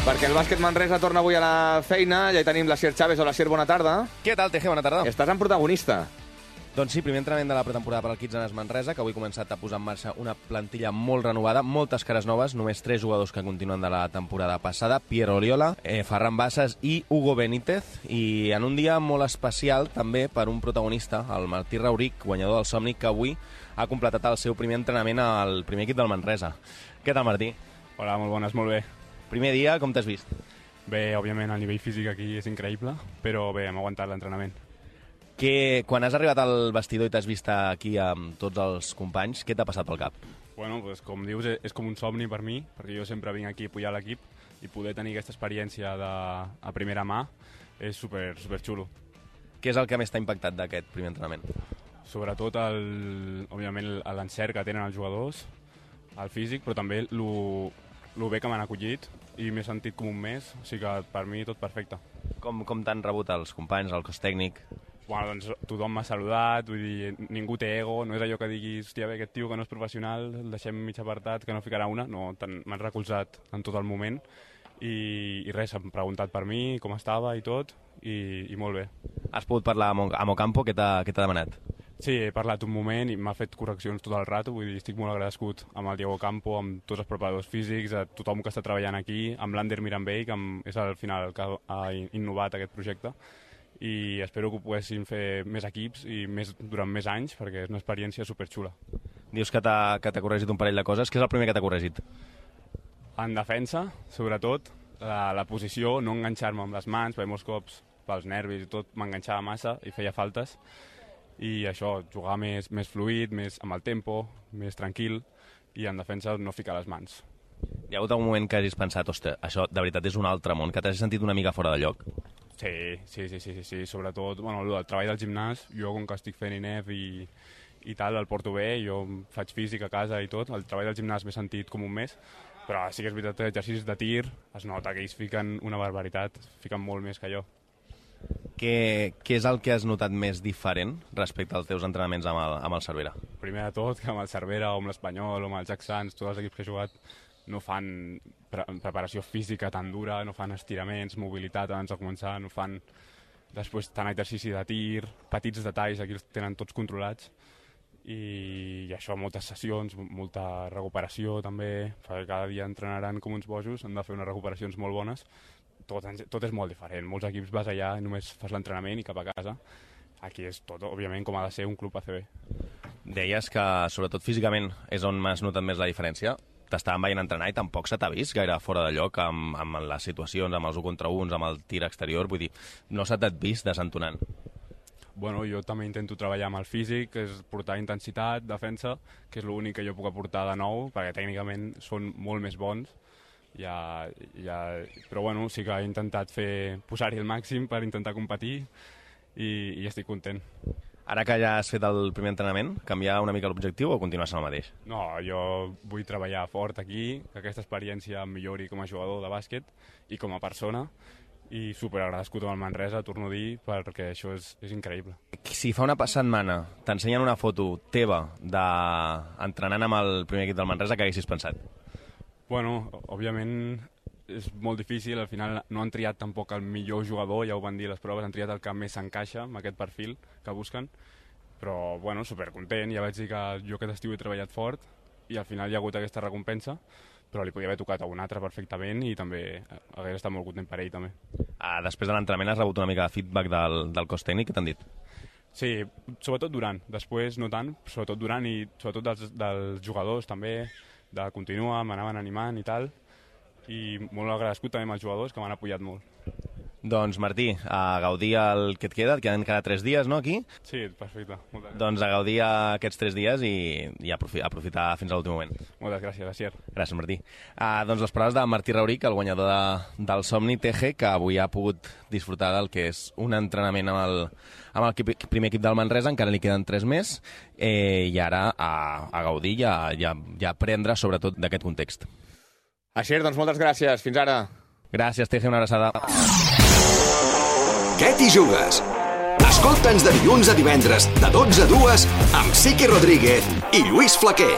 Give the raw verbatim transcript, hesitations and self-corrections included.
perquè el bàsquet Manresa torna avui a la feina. Ja hi tenim l'Asier Chávez. Hola, Asier, bona tarda. Què tal, Teje? Bona tarda. Estàs en protagonista. Doncs sí, primer entrenament de la pretemporada per al Kitsanes Manresa, que avui ha començat a posar en marxa una plantilla molt renovada, moltes cares noves, només tres jugadors que continuen de la temporada passada, Piero Oriola, eh, Ferran Bassas i Hugo Benítez, i en un dia molt especial també per un protagonista, el Martí Rauric, guanyador del Somni, que avui ha completat el seu primer entrenament al primer equip del Manresa. Què tal, Martí? Hola, molt bones, molt bé. Primer dia, com t'has vist? Bé, òbviament el nivell físic aquí és increïble, però bé, hem aguantat l'entrenament. Que, quan has arribat al vestidor i t'has vist aquí amb tots els companys, què t'ha passat pel cap? Bueno, pues, com dius, és com un somni per mi, perquè jo sempre vinc aquí a apoyar l'equip i poder tenir aquesta experiència de, a primera mà és super, super xulo. Què és el que més t'ha impactat d'aquest primer entrenament? Sobretot, el, òbviament, l'encert que tenen els jugadors, el físic, però també lo, lo bé que m'han acollit i m'he sentit com un mes, o sigui que per mi tot perfecte. Com, com t'han rebut els companys, el cos tècnic? Bueno, doncs tothom m'ha saludat, vull dir, ningú té ego, no és allò que diguis, hòstia, bé, aquest tio que no és professional, el deixem mig apartat, que no ficarà una, no, m'han recolzat en tot el moment i, i res, s'han preguntat per mi, com estava i tot, i, i molt bé. Has pogut parlar amb, amb Ocampo, què t'ha demanat? Sí, he parlat un moment i m'ha fet correccions tot el rato, vull dir, estic molt agraïscut amb el Diego Ocampo, amb tots els preparadors físics, a tothom que està treballant aquí, amb l'Ander Mirambell, que és al final el que ha innovat aquest projecte, i espero que ho poguessin fer més equips i més, durant més anys, perquè és una experiència superxula. Dius que t'ha corregit un parell de coses. Què és el primer que t'ha corregit? En defensa, sobretot, la, la posició, no enganxar-me amb les mans, perquè molts cops, pels nervis i tot, m'enganxava massa i feia faltes, i això, jugar més, més fluid, més amb el tempo, més tranquil, i en defensa no ficar les mans. Hi ha hagut algun moment que hagis pensat, ostres, això de veritat és un altre món, que t'has sentit una mica fora de lloc? Sí, sí, sí, sí, sí, sí. Sobretot, bueno, el treball del gimnàs, jo com que estic fent I N E F i, i tal, el porto bé, jo faig físic a casa i tot, el treball del gimnàs m'he sentit com un mes, però sí que és veritat que exercicis de tir es nota que ells fiquen una barbaritat, fiquen molt més que jo. Què, què és el que has notat més diferent respecte als teus entrenaments amb el, amb el Cervera? Primer de tot, que amb el Cervera o amb l'Espanyol o amb el Jack Sands, tots els equips que he jugat, no fan pre preparació física tan dura, no fan estiraments, mobilitat abans de començar, no fan després tant exercici de tir, petits detalls, aquí els tenen tots controlats, i, i això, moltes sessions, molta recuperació també, perquè cada dia entrenaran com uns bojos, han de fer unes recuperacions molt bones, tot, tot és molt diferent, molts equips vas allà i només fas l'entrenament i cap a casa, aquí és tot, òbviament, com ha de ser un club A C B. Deies que, sobretot físicament, és on m'has notat més la diferència. T'estaven veient entrenar i tampoc se t'ha vist gaire fora de lloc amb, amb les situacions, amb els un contra uns, amb el tir exterior, vull dir, no se t'ha vist desentonant. Bueno, jo també intento treballar amb el físic, que és portar intensitat, defensa, que és l'únic que jo puc aportar de nou, perquè tècnicament són molt més bons, ja, ja... però bueno, sí que he intentat fer posar-hi el màxim per intentar competir i, i estic content. Ara que ja has fet el primer entrenament, canviar una mica l'objectiu o continuar sent el mateix? No, jo vull treballar fort aquí, que aquesta experiència em millori com a jugador de bàsquet i com a persona, i superagraïscut amb el Manresa, torno a dir, perquè això és, és increïble. Si fa una setmana t'ensenyen una foto teva d'entrenant amb el primer equip del Manresa, què haguessis pensat? Bueno, òbviament és molt difícil, al final no han triat tampoc el millor jugador, ja ho van dir les proves, han triat el que més s'encaixa amb aquest perfil que busquen, però bueno, supercontent, ja vaig dir que jo aquest estiu he treballat fort i al final hi ha hagut aquesta recompensa, però li podia haver tocat a un altre perfectament i també hagués estat molt content per ell també. Ah, després de l'entrenament has rebut una mica de feedback del, del cos tècnic, què t'han dit? Sí, sobretot durant, després no tant, sobretot durant i sobretot dels, dels jugadors també, de continuar, m'anaven animant i tal, i molt agraïscut també amb els jugadors que m'han apoyat molt. Doncs Martí, a gaudir el que et queda, et queden cada tres dies, no, aquí? Sí, perfecte. Moltes doncs a gaudir aquests tres dies i, i aprofitar fins a l'últim moment. Moltes gràcies, Asier. Gràcies, Martí. Uh, doncs les paraules de Martí Rauric, el guanyador de, del Somni T G, que avui ha pogut disfrutar del que és un entrenament amb el, amb el equip, primer equip del Manresa, encara li queden tres més, eh, i ara a, a gaudir i a, i a, i a aprendre sobretot d'aquest context. Asier, doncs moltes gràcies. Fins ara. Gràcies, T G, una abraçada. Què t'hi jugues? Escolta'ns de dilluns a divendres, de dotze a dues, amb Siqui Rodríguez i Lluís Flaquer.